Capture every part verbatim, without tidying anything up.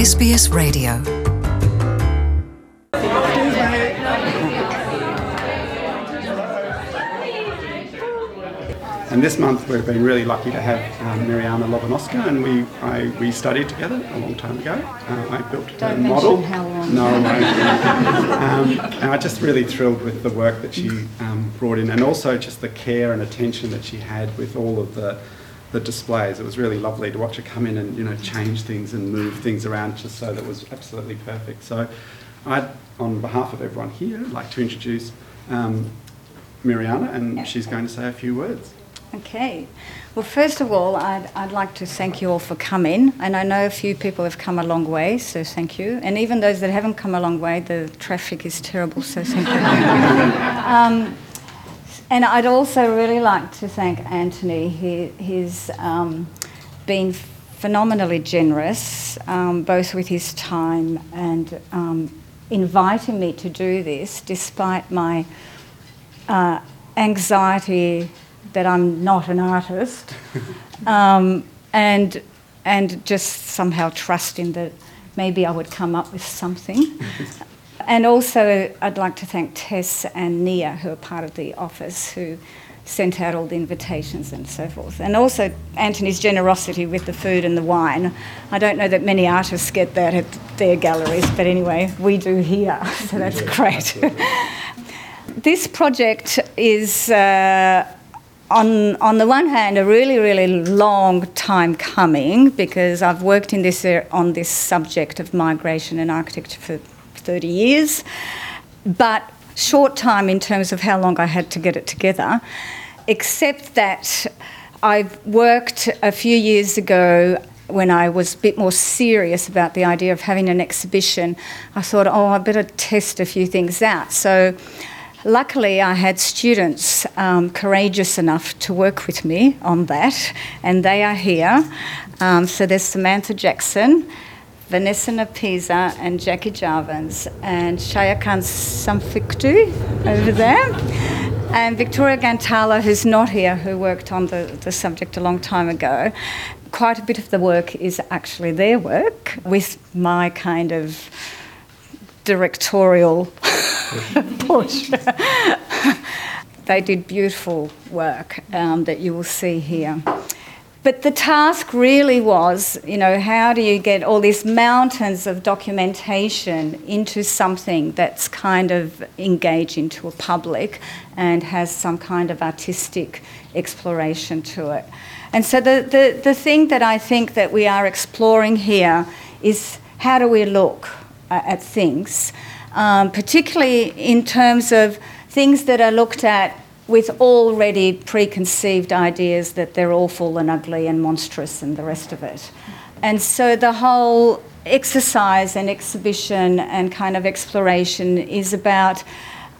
S B S Radio. And this month we've been really lucky to have um, Mariana Lobanovska, and we I, we studied together a long time ago. Uh, I built Don't a model. mention how long. No, no. um, and I just really thrilled with the work that she um, brought in, and also just the care and attention that she had with all of the the displays. It was really lovely to watch her come in and you know change things and move things around just so that it was absolutely perfect. So I'd, on behalf of everyone here, like to introduce um, Mariana, and she's going to say a few words. Okay. Well, first of all, I'd, I'd like to thank you all for coming. And I know a few people have come a long way, so thank you. And even those that haven't come a long way, the traffic is terrible, so thank you. um, and I'd also really like to thank Anthony. He, he's um, been phenomenally generous, um, both with his time and um, inviting me to do this, despite my uh, anxiety that I'm not an artist, um, and and just somehow trusting that maybe I would come up with something. And also I'd like to thank Tess and Nia, who are part of the office, who sent out all the invitations and so forth. And also Anthony's generosity with the food and the wine. I don't know that many artists get that at their galleries, but anyway, we do here, so that's great. This project is uh, On, on the one hand, a really, really long time coming, because I've worked in this on this subject of migration and architecture for thirty years, but short time in terms of how long I had to get it together, except that I worked a few years ago when I was a bit more serious about the idea of having an exhibition. I thought, oh, I better test a few things out. So luckily, I had students um, courageous enough to work with me on that, and they are here. Um, so there's Samantha Jackson, Vanessa Napisa, and Jackie Jarvins, and Shayakan Samfikdu over there, and Victoria Gantala, who's not here, who worked on the, the subject a long time ago. Quite a bit of the work is actually their work, with my kind of directorial push. They did beautiful work um, that you will see here. But the task really was, you know, how do you get all these mountains of documentation into something that's kind of engaging to a public and has some kind of artistic exploration to it. And so the, the, the thing that I think that we are exploring here is how do we look uh, at things, Um, particularly in terms of things that are looked at with already preconceived ideas that they're awful and ugly and monstrous and the rest of it. And so the whole exercise and exhibition and kind of exploration is about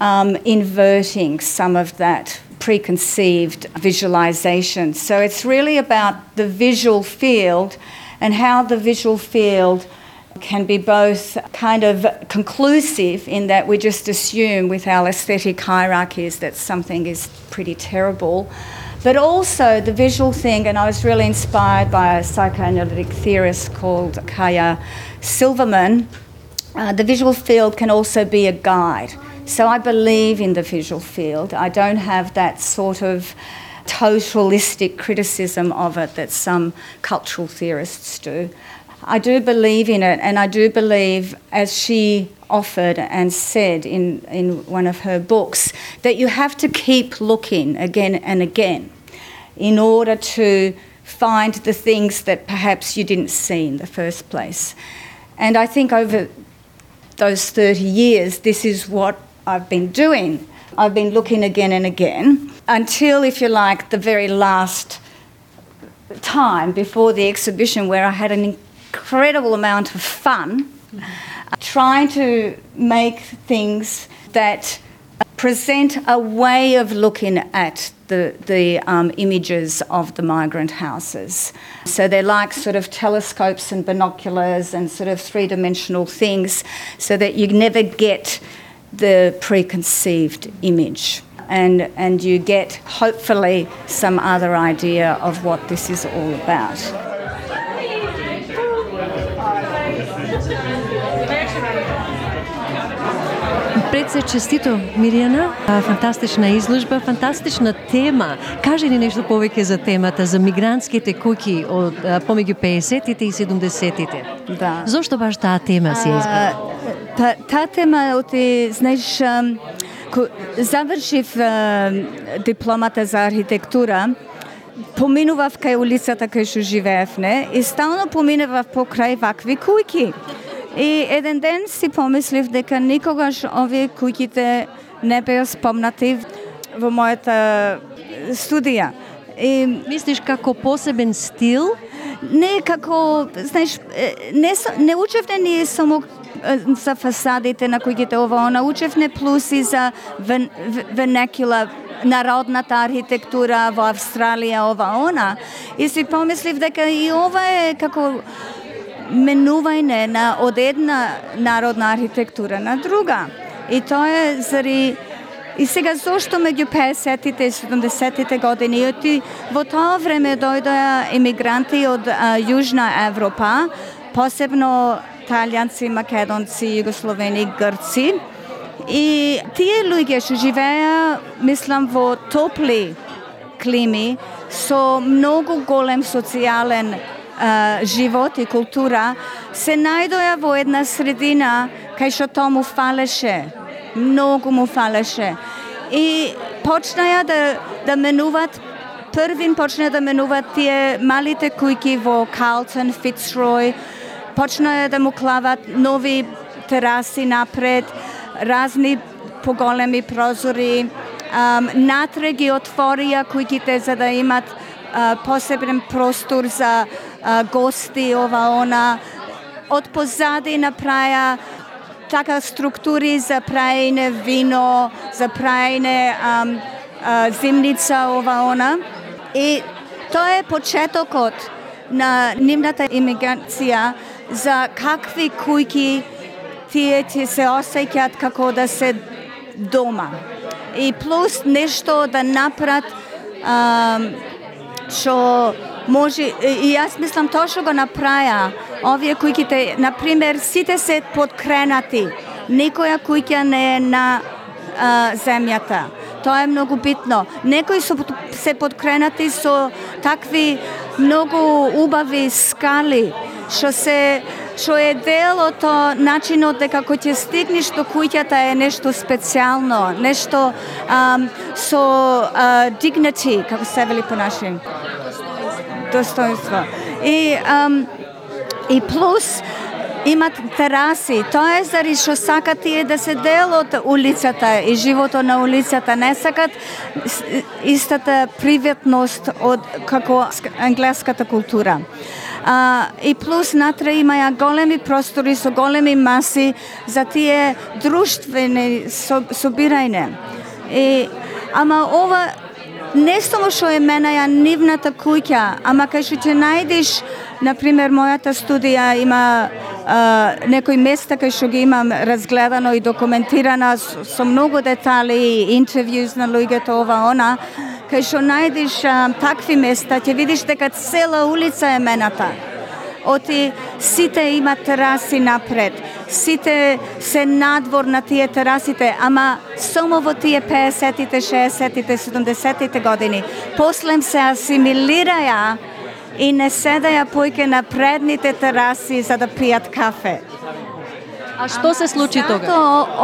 um, inverting some of that preconceived visualisation. So it's really about the visual field and how the visual field can be both kind of conclusive in that we just assume with our aesthetic hierarchies that something is pretty terrible, but also the visual thing, and I was really inspired by a psychoanalytic theorist called Kaya Silverman. Uh, the visual field can also be a guide. So I believe in the visual field. I don't have that sort of totalistic criticism of it that some cultural theorists do. I do believe in it, and I do believe, as she offered and said in, in one of her books, that you have to keep looking again and again in order to find the things that perhaps you didn't see in the first place. And I think over those thirty years, this is what I've been doing. I've been looking again and again until, if you like, the very last time before the exhibition, where I had an incredible amount of fun mm-hmm. uh, trying to make things that present a way of looking at the, the um, images of the migrant houses. So they're like sort of telescopes and binoculars and sort of three-dimensional things, so that you never get the preconceived image. And, and you get, hopefully, some other idea of what this is all about. Пред се честито, Мирјана. Фантастична изложба, фантастична тема. Кажи ни нешто повеќе за темата, за мигрантските куќи од помеѓу пеесеттите и седумдесеттите. Да. Зошто баш таа тема си избрала? Та, таа тема, оти, знаеш, ко завршив а, дипломата за архитектура, поминував кај улицата кај што живеев, не? И стално поминував покрај вакви куќи. И еден ден си помислив дека никогаш овие куќите не беа спомнати во мојата студија. И Мислиш како посебен стил? не како, знаеш, не, не учевне ние само за фасадите на куќите ова, она учевне плюс и за вен, венекула, народната архитектура во Австралија, ова, она. И си помислив дека и ова е како менување на од една народна архитектура на друга. И тоа е зари и сега зошто меѓу пеесеттите и седумдесеттите години, и во тоа време дојдоа емигранти од а, Јужна Европа, посебно италијанци, македонци, југословени, грци. И тие луѓе што живееа, мислам, во топли клими, со многу голем социјален а, живот и култура, се најдоа во една средина кај што тоа му фалеше, многу му фалеше. И почнаја да, да менуваат, првин почнаја да менуваат тие малите куќи во Карлтон, Фицрој, почнаја да му клават нови тераси напред, разни поголеми прозори, um, натре ги отворија куќите за да имат uh, посебен простор за uh, гости, ова, она. Од позади направија така структури за праење вино, за праење um, uh, зимница, ова, она. И тоа е почетокот на нивната имиграција за какви куќи тие ќе се осеќаат како да се дома. И плюс нешто да направат што може, и јас мислам тоа што го направија овие куќите, например, сите се подкренати. Никоја куќа не е на а, земјата. Тоа е многу битно. Некои се, се подкренати со такви многу убави скали, што се што е дел од начинот дека кога ќе стигнеш до куќата е нешто специјално, нешто um, со uh, dignity, како се вели по наши. Достоинство. И, um, и плюс имат тераси. Тоа е заради што сакат тие да се дел од улицата и животот на улицата. Не сакат истата приватност од како англиската култура. Uh, и плюс натре имаја големи простори со големи маси за тие друштвени собирање. И, ама ова не само што е менаја нивната куќа, ама кај што ќе најдеш, например, мојата студија има uh, некои места кај што ги имам разгледано и документирана со, со многу детали и интервјуз на луѓето, ова, она, кај што најдеш а, такви места, ќе видиш дека цела улица е мената. Оти сите имат тераси напред, сите се надвор на тие терасите, ама само во тие пеесеттите, шеесеттите, седумдесеттите години. После се асимилираја и не седаја појке на предните тераси за да пијат кафе. А што се случи тога? Зато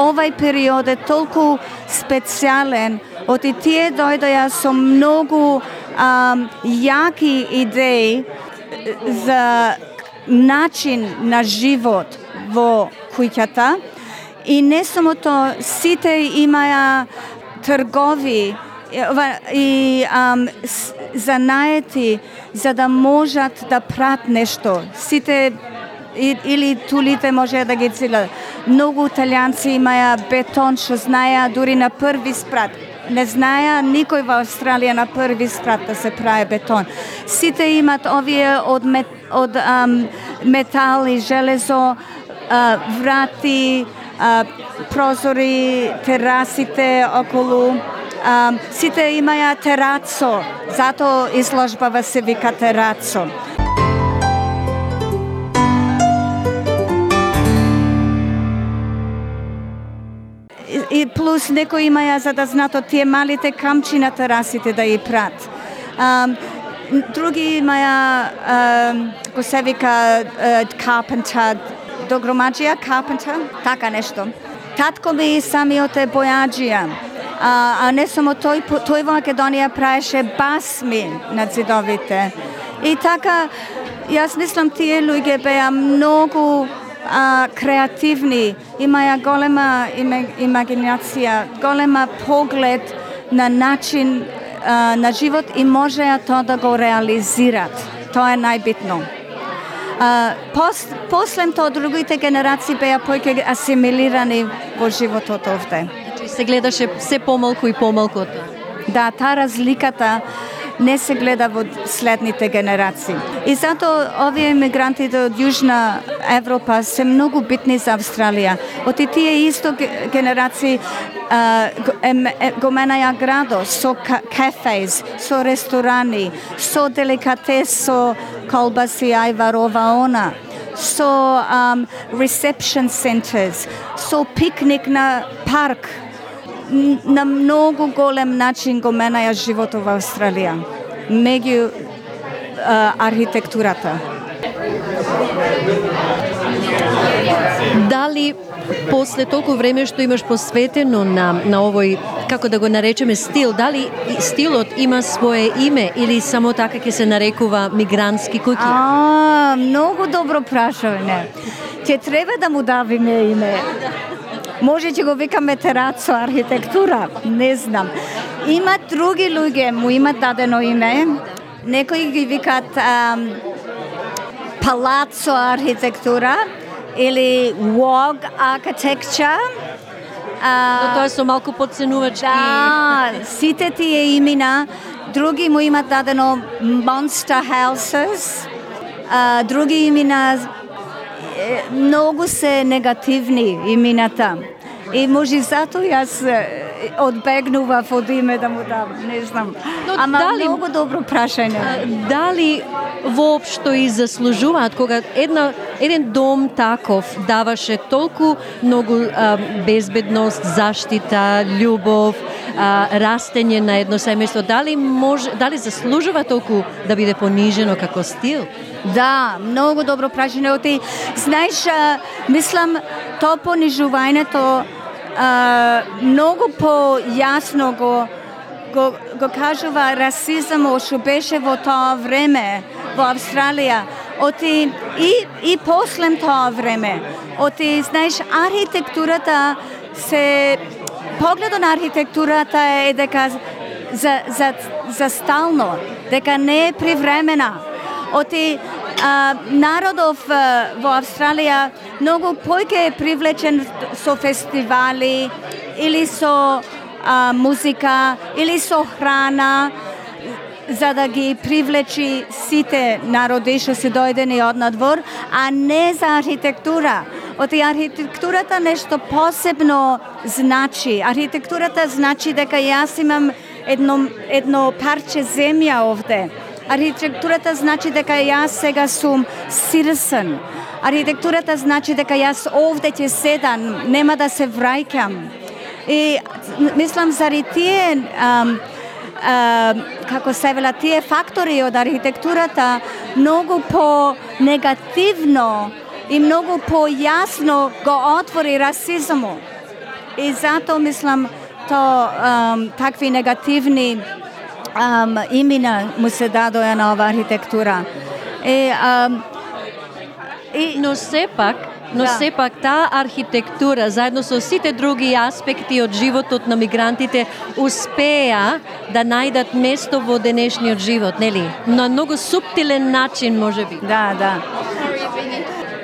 овај период е толку специјален, оти тие дојдоја со многу ам, јаки идеи за начин на живот во куќата. И не само тоа, сите имаја тргови и ам, занаети за да можат да прат нешто. Сите И, или тулите може да ги цилат. Многу италијанци имаја бетон, што знаеа дури на први спрат. Не знаеа никој во Австралија на први спрат да се прави бетон. Сите имат овие од, мет, од ам, метал и железо, а, врати, а, прозори, терасите околу. А, сите имаја терацо, затоа изложбава се вика терацо. плюс некои имаја за да знаат од тие малите камчи на терасите да ја прат. Um, други имаја, um, како се вика, uh, carpenter, догромаджија, carpenter, така нешто. Татко ми самиот е бојаджија, а, а не само тој, тој во Македонија праеше басми на зидовите. И така, јас мислам тие луѓе беа многу а, креативни, имаја голема имагинација, голема поглед на начин а, на живот и можеа тоа да го реализират. Тоа е најбитно. А, пос, после тоа другите генерации беа поќе асимилирани во животот овде. Значи се гледаше се помалку и помалку тоа. Да, таа разликата не се гледа во следните генерации. И затоа овие емигрантите од Јужна Европа се многу битни за Австралија. Од тие исто генерации а, го менаја градо со кафејс, со ресторани, со деликатес, со колбаси ајвар ова она, со um, reception centers, со пикник на парк. На многу голем начин го менаја животот во Австралија, меѓу а, архитектурата. Дали после толку време што имаш посветено на, на овој, како да го наречеме, стил, дали стилот има свое име или само така ќе се нарекува мигрантски куќи? А, многу добро прашање. Ќе треба да му давиме име. Може ќе го викаме терацо архитектура, не знам. Има други луѓе, му имат дадено име. Некои ги викат um, палацо архитектура или wog architecture. Но тоа со малку подценувачки. Да, сите тие имена, други му имат дадено monster houses, а, други имена многу се негативни имената. И може затоа јас одбегнував од име да му дам, не знам. Но Ама дали, многу добро прашање. Дали воопшто и заслужуваат кога една еден дом таков даваше толку многу а, безбедност, заштита, љубов, а, растење на едно семејство, дали може, дали заслужува толку да биде понижено како стил? Да, многу добро прашање. Оти, знаеш, а, мислам, то понижувањето а, многу појасно го, го, го кажува расизмот што беше во тоа време во Австралија. Оти, и, и после тоа време. Оти, знаеш, архитектурата се... Погледот на архитектурата е дека за, за, за стално, дека не е привремена. Оти, а, народов а, во Австралија многу поќе е привлечен со фестивали или со а, музика или со храна за да ги привлечи сите народи што се дојдени од надвор, а не за архитектура. Оти архитектурата нешто посебно значи. Архитектурата значи дека јас имам едно, едно парче земја овде. Архитектурата значи дека јас сега сум citizen. Архитектурата значи дека јас овде ќе седам, нема да се враќам. И мислам заради тие ам, ам, како се вела тие фактори од архитектурата многу по негативно и многу појасно го отвори расизмот. И затоа мислам то ам, такви негативни Um, имена му се дадоја на оваа архитектура. И, um, и... Но сепак, но да. сепак таа архитектура заедно со сите други аспекти од животот на мигрантите успеа да најдат место во денешниот живот, нели? На многу суптилен начин, можеби. Да, да.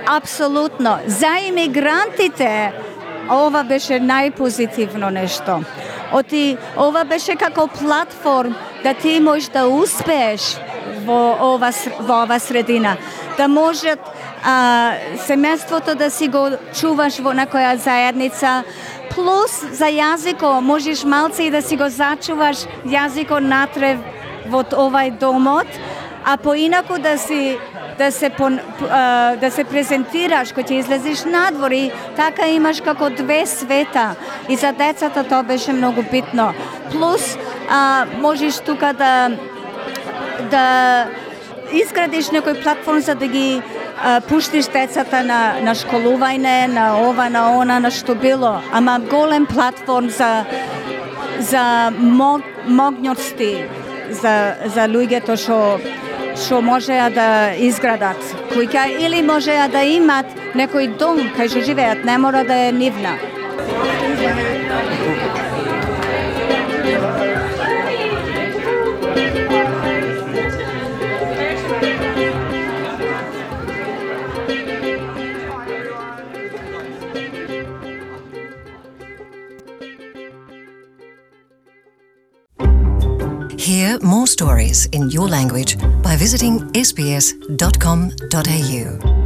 Апсолутно. За имигрантите ова беше најпозитивно нешто. Оти, ова беше како платформ да ти можеш да успееш во ова, во ова средина. Да можат а, семејството да си го чуваш во некоја заедница, плюс за јазико можеш малце и да си го зачуваш јазико натре во овај домот, а поинаку да си да се, пон, а, да се презентираш, кога ќе излезеш надвор и така имаш како две света. И за децата тоа беше многу битно. Плюс, а, можеш тука да, да изградиш некој платформ за да ги а, пуштиш децата на, на школување, на ова, на она, на што било. Ама голем платформ за, за мог, могњоци, за, за луѓето што што можеа да изградат куќа или можеа да имат некој дом кај што живеат, не мора да е нивна. Hear more stories in your language by visiting s b s dot com dot a u.